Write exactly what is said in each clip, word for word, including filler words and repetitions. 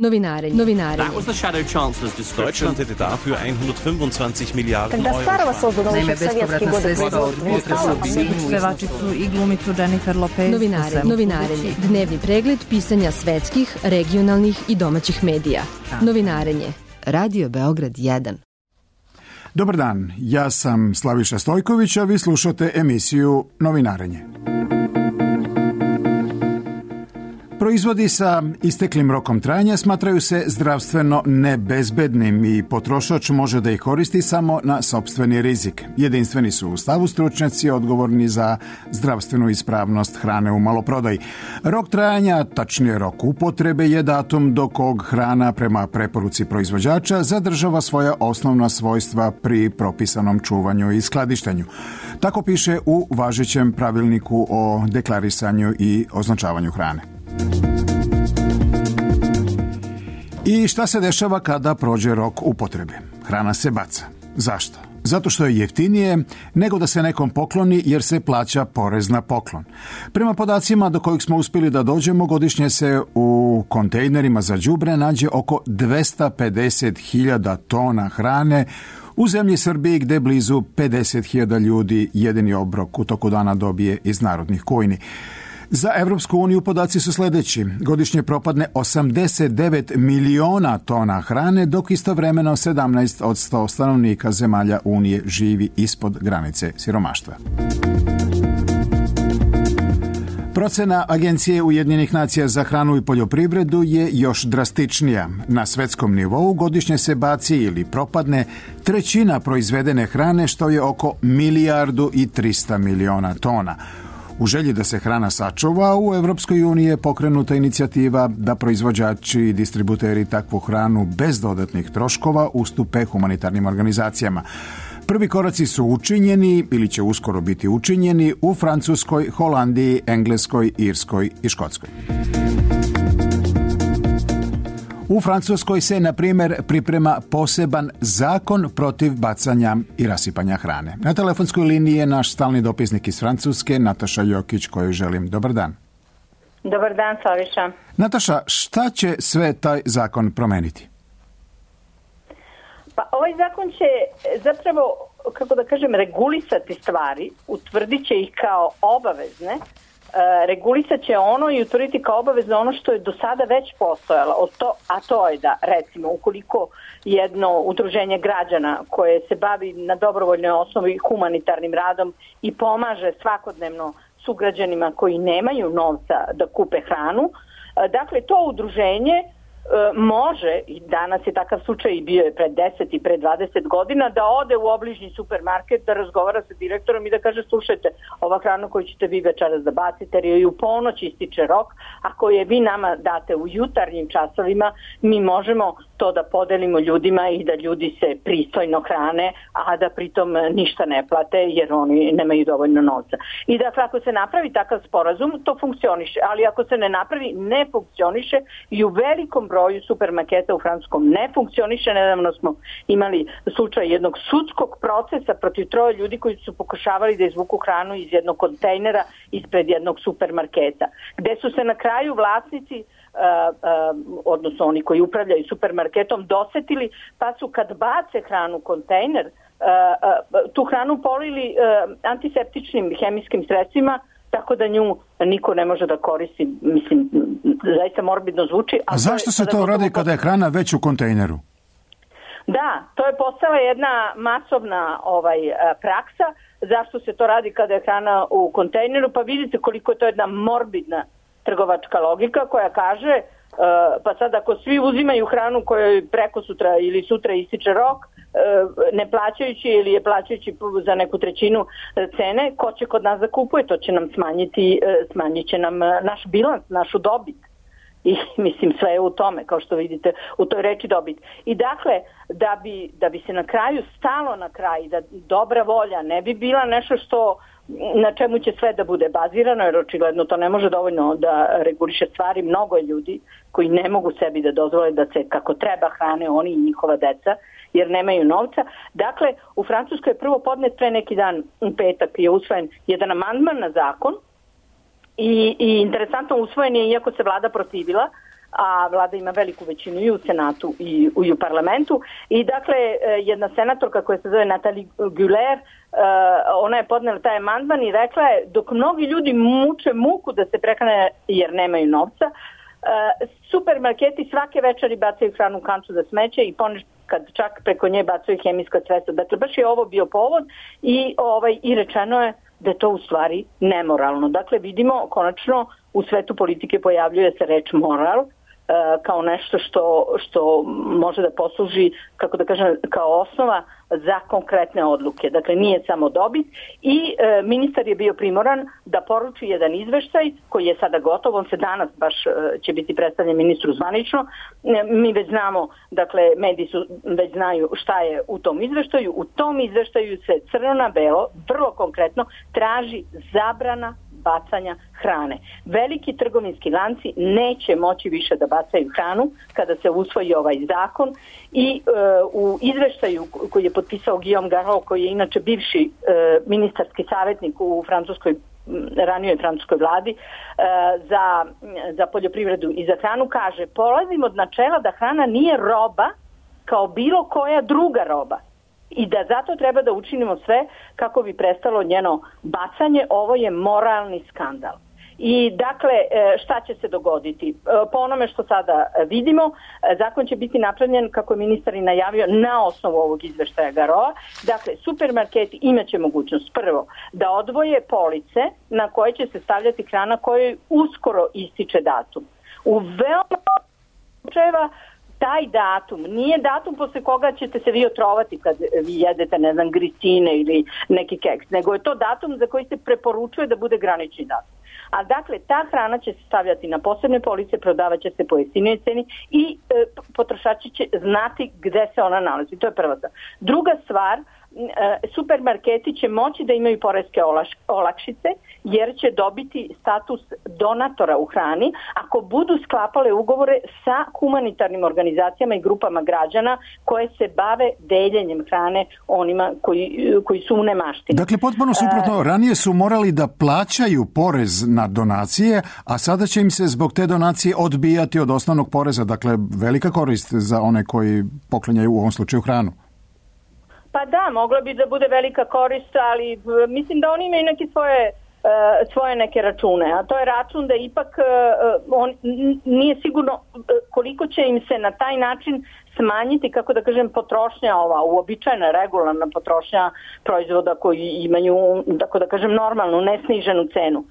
Novinarenje. Novinarenje. That was the shadow chancellor's description. Deutschland hätte dafür hundertfünfundzwanzig Milliarden Когда Euro. старого создано Naime, еще в советские bespovratna годы sredstva od производства. pevačicu i glumicu Jennifer Lopez. Novinarenje. Novinarenje. Dnevni pregled pisanja svetskih, regionalnih i domaćih medija. Novinarenje. Radio Beograd jedan. Dobar dan, ja sam Slaviša Stojković, a vi slušate emisiju Novinarenje. Proizvodi sa isteklim rokom trajanja smatraju se zdravstveno nebezbednim i potrošač može da ih koristi samo na sopstveni rizik. Jedinstveni su u stavu stručnjaci odgovorni za zdravstvenu ispravnost hrane u maloprodaji. Rok trajanja, tačnije rok upotrebe, je datum do kog hrana prema preporuci proizvođača zadržava svoja osnovna svojstva pri propisanom čuvanju i skladištenju. Tako piše u važećem pravilniku o deklarisanju i označavanju hrane. I šta se dešava kada prođe rok upotrebe? Hrana se baca. Zašto? Zato što je jeftinije nego da se nekom pokloni jer se plaća porez na poklon. Prema podacima do kojih smo uspjeli da dođemo, godišnje se u kontejnerima za đubre nađe oko dvesta pedeset hiljada tona hrane u zemlji Srbiji gde blizu pedeset hiljada ljudi jedini obrok u toku dana dobije iz narodnih kojni. Za Evropsku uniju podaci su sljedeći. Godišnje propadne osamdeset devet miliona tona hrane, dok istovremeno sedamnaest od sto stanovnika zemalja Unije živi ispod granice siromaštva. Procena Agencije Ujedinjenih nacija za hranu i poljoprivredu je još drastičnija. Na svetskom nivou godišnje se baci ili propadne trećina proizvedene hrane, što je oko milijardu i trista miliona tona. U želji da se hrana sačuva, u Evropskoj uniji je pokrenuta inicijativa da proizvođači i distributeri takvu hranu bez dodatnih troškova ustupe humanitarnim organizacijama. Prvi koraci su učinjeni ili će uskoro biti učinjeni u Francuskoj, Holandiji, Engleskoj, Irskoj i Škotskoj. U Francuskoj se, na primjer, priprema poseban zakon protiv bacanja i rasipanja hrane. Na telefonskoj liniji je naš stalni dopisnik iz Francuske, Nataša Jokić, koju želim dobar dan. Dobar dan, Slaviša. Nataša, šta će sve taj zakon promeniti? Pa ovaj zakon će zapravo, kako da kažem, regulisati stvari, utvrdit će ih kao obavezne, regulisat će ono i utvrditi kao obavezno ono što je do sada već postojalo, a to je da, recimo, ukoliko jedno udruženje građana koje se bavi na dobrovoljnoj osnovi humanitarnim radom i pomaže svakodnevno sugrađanima koji nemaju novca da kupe hranu, dakle to udruženje može, i danas je takav slučaj i bio je pred deset i pred dvadeset godina, da ode u obližnji supermarket, da razgovara sa direktorom i da kaže: slušajte, ova hrana koju ćete vi večeras da bacite, jer je u ponoć ističe rok, a koje vi nama date u jutarnjim časovima, mi možemo to da podelimo ljudima i da ljudi se pristojno hrane, a da pritom ništa ne plate jer oni nemaju dovoljno novca. I dakle, ako se napravi takav sporazum, to funkcioniše, ali ako se ne napravi, ne funkcioniše i u velikom broju supermarketa u Francuskom ne funkcioniše. Nedavno smo imali slučaj jednog sudskog procesa protiv troje ljudi koji su pokušavali da izvuku hranu iz jednog kontejnera ispred jednog supermarketa, gde su se na kraju vlasnici, Uh, uh, odnosno oni koji upravljaju supermarketom, dosetili, pa su kad bace hranu u kontejner, uh, uh, tu hranu polili uh, antiseptičnim hemijskim sredstvima, tako da nju niko ne može da koristi. Mislim, zaista morbidno zvuči. A zašto se to radi kada je hrana već u kontejneru? Da, to je postala jedna masovna ovaj, praksa. Zašto se to radi kada je hrana u kontejneru? Pa vidite koliko je to jedna morbidna trgovačka logika koja kaže uh, pa sad ako svi uzimaju hranu kojoj preko sutra ili sutra ističe rok, uh, ne plaćajući ili je plaćajući za neku trećinu cene, ko će kod nas da kupuje? To će nam smanjiti, uh, smanjit će nam uh, naš bilans, našu dobit. I mislim, sve je u tome, kao što vidite, u toj reči dobit. I dakle, da bi, da bi se na kraju stalo na kraj, da dobra volja ne bi bila nešto što na čemu će sve da bude bazirano, jer očigledno to ne može dovoljno da reguliše stvari. Mnogo je ljudi koji ne mogu sebi da dozvole da se kako treba hrane oni i njihova deca, jer nemaju novca. Dakle, u Francuskoj je prvo podnet pre neki dan, u petak, je usvojen jedan amandman na zakon i, i interesantno usvojen je, iako se vlada protivila, a vlada ima veliku većinu i u Senatu i u, i u parlamentu. I dakle, jedna senatorka koja se zove Nathalie Güler, ona je podnela taj amandman i rekla je, dok mnogi ljudi muče muku da se prehrane jer nemaju novca, supermarketi svake večeri bacaju hranu u kantu za smeće i ponekad čak preko nje bacaju hemijska sredstva. Dakle, baš je ovo bio povod i, ovaj, i rečeno je da je to u stvari nemoralno. Dakle, vidimo konačno u svetu politike pojavljuje se reč moral kao nešto što, što može da posluži, kako da kažem, kao osnova za konkretne odluke. Dakle, nije samo dobit i e, ministar je bio primoran da poruči jedan izveštaj koji je sada gotov, on se danas baš e, će biti predstavljen ministru zvanično. E, mi već znamo, dakle, mediji su već znaju šta je u tom izveštaju. U tom izveštaju se crno na belo, vrlo konkretno, traži zabrana bacanja hrane. Veliki trgovinski lanci neće moći više da bacaju hranu kada se usvoji ovaj zakon i e, u izveštaju koji je potpisao Guillaume Garot, koji je inače bivši e, ministarski savjetnik u francuskoj ranijoj francuskoj vladi e, za, za poljoprivredu i za hranu, kaže, polazim od načela da hrana nije roba kao bilo koja druga roba i da zato treba da učinimo sve kako bi prestalo njeno bacanje. Ovo je moralni skandal. I dakle, šta će se dogoditi? Po onome što sada vidimo, zakon će biti napravljen, kako je ministar i najavio, na osnovu ovog izveštaja Garoa. Dakle, supermarketi imaće mogućnost prvo da odvoje police na koje će se stavljati hrana kojoj uskoro ističe datum. U veoma slučajeva taj datum nije datum posle koga ćete se vi otrovati kad vi jedete, ne znam, gricine ili neki keks, nego je to datum za koji se preporučuje da bude granični datum. A dakle, ta hrana će se stavljati na posebne police, prodavat će se po jeftinijoj ceni i e, potrošači će znati gde se ona nalazi. To je prva stvar. Druga stvar, e, supermarketi će moći da imaju poreske olaš, olakšice jer će dobiti status donatora u hrani ako budu sklapale ugovore sa humanitarnim organizacijama i grupama građana koje se bave deljenjem hrane onima koji, koji su u nemaštini. Dakle, potpuno suprotno, ranije su morali da plaćaju porez na donacije, a sada će im se zbog te donacije odbijati od osnovnog poreza. Dakle, velika korist za one koji poklanjaju u ovom slučaju hranu. Pa da, mogla bi da bude velika korist, ali mislim da oni imaju neke svoje svoje neke račune, a to je račun da ipak on nije sigurno koliko će im se na taj način smanjiti, kako da kažem, potrošnja ova uobičajena, regularna potrošnja proizvoda koji imaju, tako da kažem, normalnu, nesniženu cenu.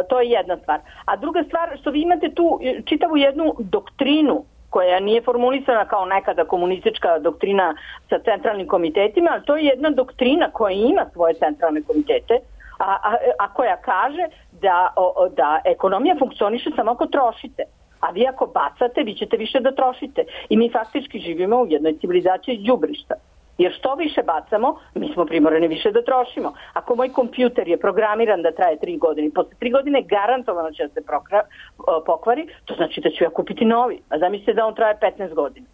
To je jedna stvar. A druga stvar, što vi imate tu čitavu jednu doktrinu koja nije formulisana kao nekada komunistička doktrina sa centralnim komitetima, ali to je jedna doktrina koja ima svoje centralne komitete, A, a, a koja kaže da, o, da ekonomija funkcioniše samo ako trošite. A vi ako bacate, vi ćete više da trošite. I mi faktički živimo u jednoj civilizaciji đubrišta. Jer što više bacamo, mi smo primorani više da trošimo. Ako moj kompjuter je programiran da traje tri godine, posle tri godine garantovano će da se prokra, pokvari, to znači da ću ja kupiti novi. A zamislite da on traje petnaest godina.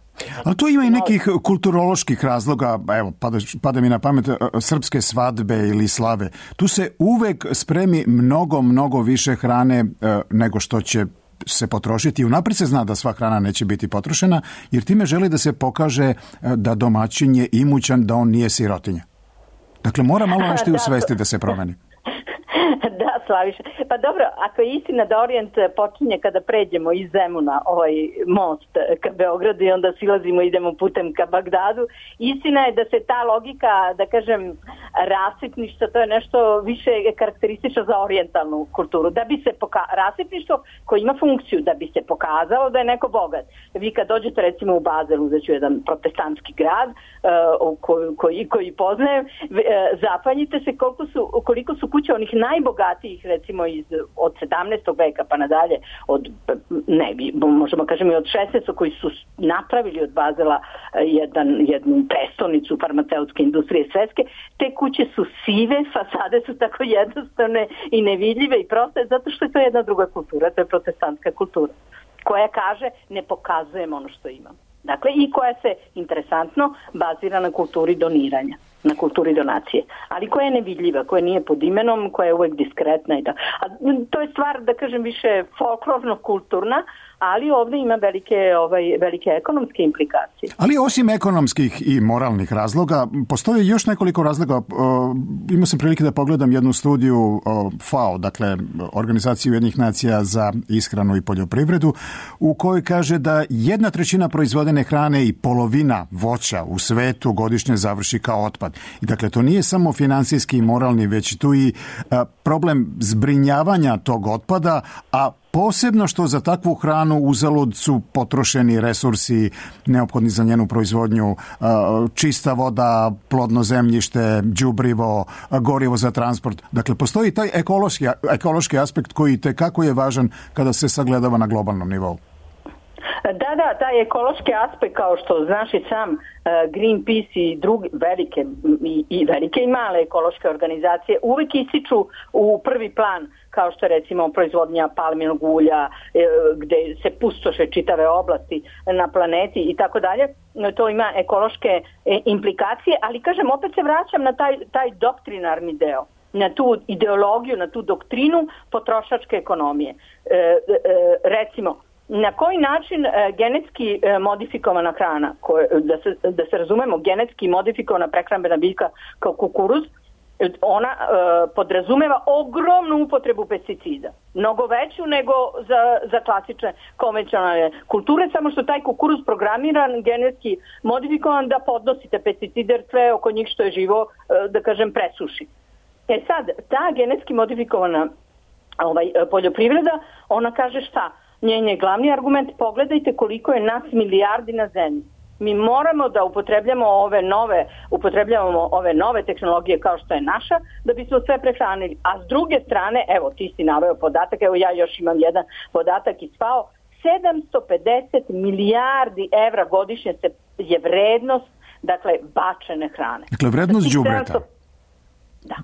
Ali to ima i nekih kulturoloških razloga, evo, pada, pada mi na pamet srpske svadbe ili slave. Tu se uvek spremi mnogo, mnogo više hrane nego što će se potrošiti. Unaprijed se zna da sva hrana neće biti potrošena, jer time želi da se pokaže da domaćin je imućan, da on nije sirotinja. Dakle, mora malo nešto i u svesti da se promeni. Da, Slaviša. Pa dobro, ako je istina da Orijent počinje kada pređemo iz Zemuna ovaj most ka Beogradu i onda silazimo i idemo putem ka Bagdadu, istina je da se ta logika, da kažem, rasipništva, to je nešto više karakteristično za orijentalnu kulturu. Da bi se poka- rasipništvo koje ima funkciju, da bi se pokazalo da je neko bogat. Vi kad dođete recimo u Bazel, uzeću jedan protestantski grad uh, koji, koji, koji poznajem, uh, zapanjite se koliko su, koliko su kuće onih najbogatijih, recimo iz, od sedamnaestog veka pa nadalje, od, ne, možemo kažem i od šesnaestog koji su napravili od Bazela jedan, jednu prestolnicu farmaceutske industrije svetske. Te kuće su sive, fasade su tako jednostavne i nevidljive i proste, zato što je to jedna druga kultura, to je protestantska kultura, koja kaže ne pokazujem ono što imam. Dakle, i koja se, interesantno, bazira na kulturi doniranja, na kulturi donacije, ali koja je nevidljiva, koja nije pod imenom, koja je uvek diskretna i da. A to je stvar, da kažem, više folklorno-kulturna, ali ovde ima velike, ovaj, velike ekonomske implikacije. Ali osim ekonomskih i moralnih razloga, postoji još nekoliko razloga. Imao sam prilike da pogledam jednu studiju F A O, dakle Organizacije Ujedinjenih nacija za ishranu i poljoprivredu, u kojoj kaže da jedna trećina proizvodene hrane i polovina voća u svetu godišnje završi kao otpad. I dakle, to nije samo finansijski i moralni, već tu i problem zbrinjavanja tog otpada, a posebno što za takvu hranu uzalud su potrošeni resursi neophodni za njenu proizvodnju, čista voda, plodno zemljište, đubrivo, gorivo za transport. Dakle, postoji taj ekološki, ekološki aspekt koji tekako je važan kada se sagledava na globalnom nivou. Da, da, taj ekološki aspekt, kao što znaš i sam, Greenpeace i druge velike i, i velike i male ekološke organizacije uvek ističu u prvi plan, kao što je recimo proizvodnja palminog ulja, gde se pustoše čitave oblasti na planeti i tako dalje. To ima ekološke implikacije, ali kažem, opet se vraćam na taj, taj doktrinarni deo, na tu ideologiju, na tu doktrinu potrošačke ekonomije. E, e, recimo, na koji način e, genetski e, modifikovana hrana, koje, da, se, da se razumemo, genetski modifikovana prehrambena biljka kao kukuruz, ona e, podrazumeva ogromnu upotrebu pesticida. Mnogo veću nego za, za klasične konvencionalne kulture, samo što taj kukuruz programiran, genetski modifikovan da podnosite pesticide, jer sve oko njih što je živo, e, da kažem, presuši. E sad, ta genetski modifikovana ovaj, poljoprivreda, ona kaže šta? Njen je glavni argument, pogledajte koliko je nas milijardi na zemlji. Mi moramo da upotrebljamo ove nove, upotrebljavamo ove nove tehnologije kao što je naša, da bismo sve prehranili. A s druge strane, evo ti si naveo podatak, evo ja još imam jedan podatak iz F A O, sedamsto pedeset milijardi evra godišnje se je vrednost, dakle, bačene hrane. Dakle, vrednost znači, đubreta. sedamsto Da.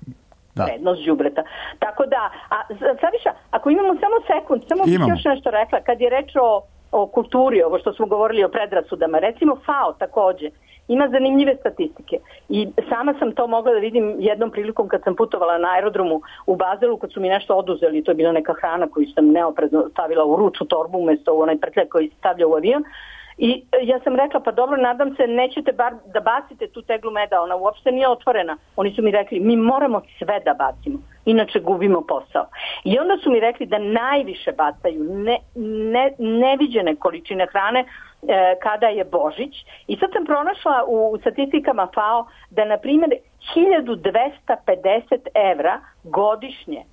Da. Vrednost đubreta. Tako da, a Saviša, ako imamo samo sekund, samo bih još nešto rekla, kad je reč o, o kulturi, ovo što smo govorili o predrasudama, recimo F A O takođe ima zanimljive statistike i sama sam to mogla da vidim jednom prilikom kad sam putovala na aerodromu u Bazelu, kad su mi nešto oduzeli, to je bila neka hrana koju sam neoprezno stavila u ručnu torbu umesto u onaj prtljak koji se stavlja u avion. I ja sam rekla, pa dobro, nadam se, nećete bar da bacite tu teglu meda, ona uopšte nije otvorena. Oni su mi rekli, mi moramo sve da bacimo, inače gubimo posao. I onda su mi rekli da najviše bacaju ne, ne, neviđene količine hrane e, kada je Božić. I sad sam pronašla u statistikama F A O da, na primjer, hiljadu dvesta pedeset evra godišnje e,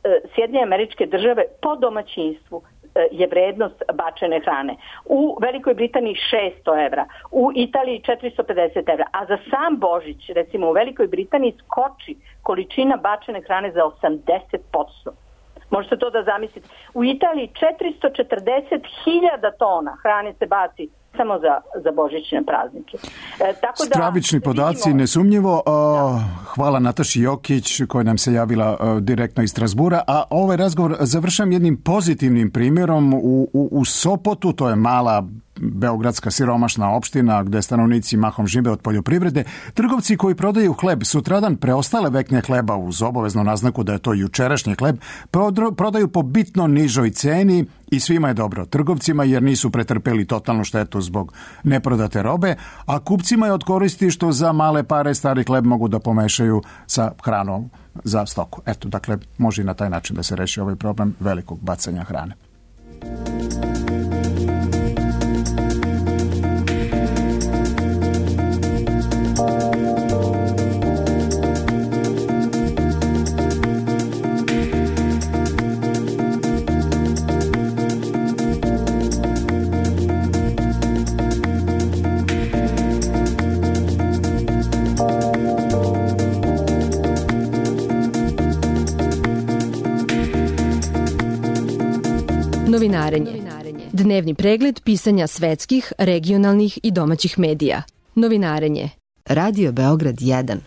e, Sjedinjene Američke Države po domaćinstvu je vrednost bačene hrane. U Velikoj Britaniji šesto evra, u Italiji četiristo pedeset evra, a za sam Božić, recimo u Velikoj Britaniji, skoči količina bačene hrane za osamdeset posto. Možete to da zamislite. U Italiji četiristo četrdeset hiljada tona hrane se baci samo za, za božićne praznike. E, tako da, stravični podaci, vidimo, nesumnjivo. Da. Hvala Nataši Jokić koja nam se javila uh, direktno iz Strasbura, a ovaj razgovor završam jednim pozitivnim primjerom u, u, u Sopotu, to je mala beogradska siromašna opština gde stanovnici mahom žive od poljoprivrede. Trgovci koji prodaju hleb sutradan preostale vekne hleba uz obaveznu naznaku da je to jučerašnji hleb prodaju po bitno nižoj ceni i svima je dobro. Trgovcima jer nisu pretrpeli totalnu štetu zbog neprodate robe, a kupcima je od koristi što za male pare stari hleb mogu da pomešaju sa hranom za stoku. Eto, dakle, može i na taj način da se reši ovaj problem velikog bacanja hrane. Novinarenje. Dnevni pregled pisanja svetskih, regionalnih i domaćih medija. Novinarenje. Radio Beograd jedan.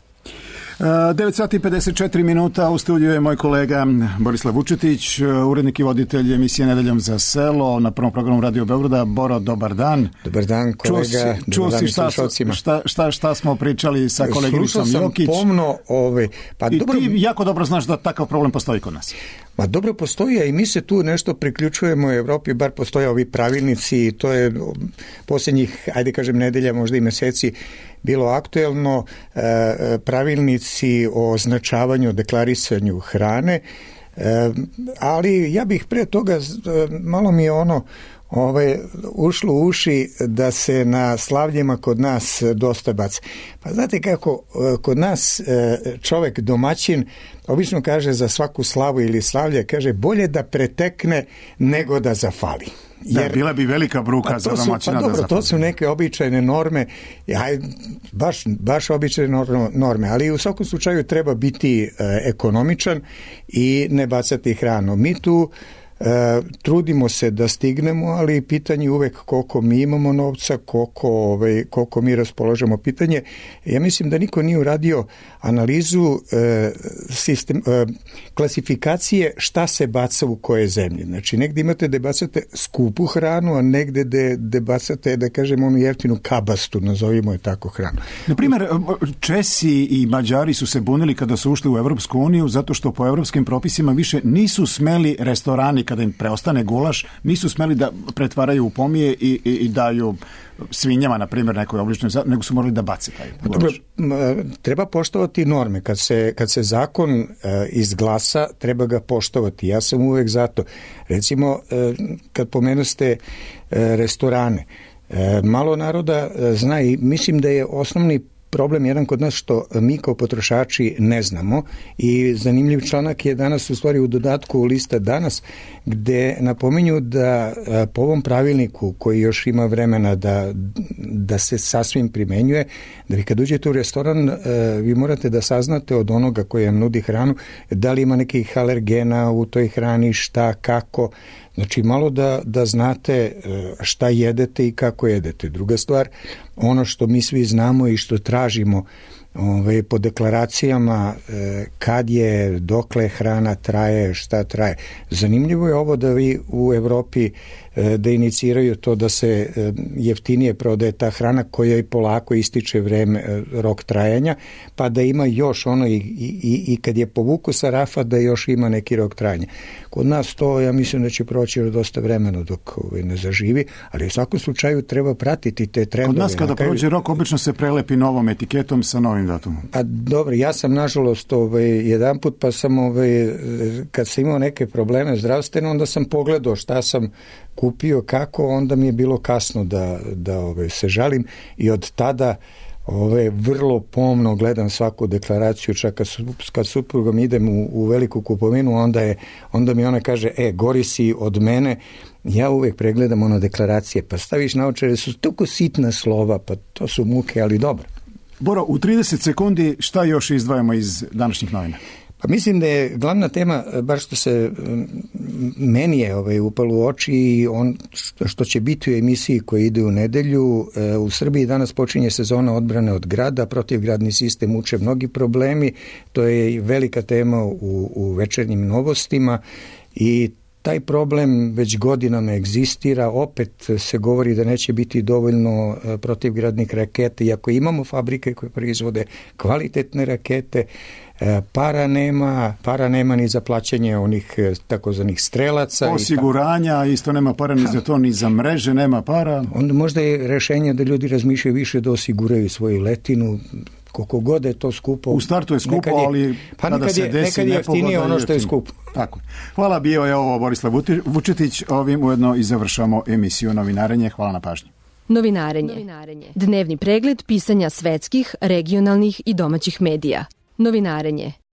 devet sati i pedeset četiri minuta, u studiju je moj kolega Borislav Vučetić, urednik i voditelj emisije Nedeljom za selo na prvom programu Radio Beograda. Boro, dobar dan. Dobar dan, kolega. Čuo si šta, šta, šta, šta smo pričali sa koleginicom Jokić? Slušao sam pomno. Ove, pa I dobro, ti jako dobro znaš da takav problem postoji kod nas. Ma dobro postoji, a i mi se tu nešto priključujemo u Evropi, bar postoje ovi pravilnici i to je posljednjih, ajde kažem, nedelja, možda i meseci bilo aktuelno, e, pravilnici o označavanju, deklarisanju hrane, e, ali ja bih pre toga, malo mi je ono Ove, ušlo u uši da se na slavljima kod nas dosta baci. Pa znate kako, kod nas čovek domaćin obično kaže za svaku slavu ili slavlje, kaže bolje da pretekne nego da zafali. Jer, da, bila bi velika bruka za domaćina pa da dobro, zafali. To su neke običajne norme, aj, baš, baš običajne norme, ali u svakom slučaju treba biti ekonomičan i ne bacati hranu. Mi tu E, trudimo se da stignemo, ali pitanje uvek koliko mi imamo novca, koliko, ovaj, koliko mi raspolažemo. Pitanje, ja mislim da niko nije uradio analizu e, sistem, e, klasifikacije šta se baca u koje zemlje. Znači, negde imate da bacate skupu hranu, a negde da, da bacate, da kažem, onu jeftinu kabastu, nazovimo je tako hranu. Naprimjer, Česi i Mađari su se bunili kada su ušli u Evropsku uniju zato što po evropskim propisima više nisu smeli restorani kada im preostane gulaš, nisu smeli da pretvaraju u pomije i, i, i daju svinjama, na primjer, nekoj obličnoj, nego su morali da bace taj gulaš. Dobro, treba poštovati norme. Kad se, kad se zakon e, izglasa, treba ga poštovati. Ja sam uvek zato. Recimo, e, kad pomenuste e, restorane, e, malo naroda e, zna i mislim da je osnovni problem jedan kod nas što mi kao potrošači ne znamo i zanimljiv članak je danas u stvari u dodatku u lista danas gde napominju da po ovom pravilniku koji još ima vremena da, da se sasvim primenjuje, da vi kad uđete u restoran vi morate da saznate od onoga koji vam nudi hranu da li ima nekih alergena u toj hrani, šta, kako. Znači malo da, da znate šta jedete i kako jedete. Druga stvar, ono što mi svi znamo i što tražimo ove, po deklaracijama kad je, dokle hrana traje, šta traje. Zanimljivo je ovo da vi u Evropi da iniciraju to da se jeftinije prodaje ta hrana koja i polako ističe vreme, rok trajanja, pa da ima još ono i, i, i kad je povuku sa rafa da još ima neki rok trajanja. Kod nas to, ja mislim da će proći dosta vremena dok ovaj, ne zaživi, ali u svakom slučaju treba pratiti te trendove. Kod nas kada kraju... prođe rok, obično se prelepi novom etiketom sa novim datumom. A dobro, ja sam nažalost ovaj, jedan put pa sam ovaj, kad sam imao neke probleme zdravstvene, onda sam pogledao šta sam kupio, kako, onda mi je bilo kasno da, da ove, se žalim i od tada ove, vrlo pomno gledam svaku deklaraciju, čak kad, su, kad suprugom idem u, u veliku kupovinu, onda, je, onda mi ona kaže, e, gori si od mene, ja uvek pregledam ono deklaracije, pa staviš naočare, su toliko sitna slova, pa to su muke, ali dobro. Boro, u trideset sekundi šta još izdvajamo iz današnjih novina? Pa mislim da je glavna tema, bar što se meni je ovaj, upalo u oči i on, što će biti u emisiji koja ide u nedelju. U Srbiji danas počinje sezona odbrane od grada, protivgradni sistem muče mnogi problemi, to je velika tema u, u večernjim novostima i taj problem već godinama egzistira, opet se govori da neće biti dovoljno protivgradnih raketa, iako imamo fabrike koje proizvode kvalitetne rakete, para nema, para nema ni za plaćanje onih takozvanih strelaca. Osiguranja, isto nema para ni za to, ni za mreže nema para. Onda možda je rešenje da ljudi razmišljaju više da osiguraju svoju letinu, koliko god je to skupo. U startu je skupo, je, ali pa kada se je, desi nekad je jeftinije ono što je skupo. Tako. Hvala, bio je ovo Borislav Vučetić. Ovim ujedno i završamo emisiju Novinarenje. Hvala na pažnji. Novinarenje. Novinarenje. Dnevni pregled pisanja svetskih, regionalnih i domaćih medija. Novinarenje.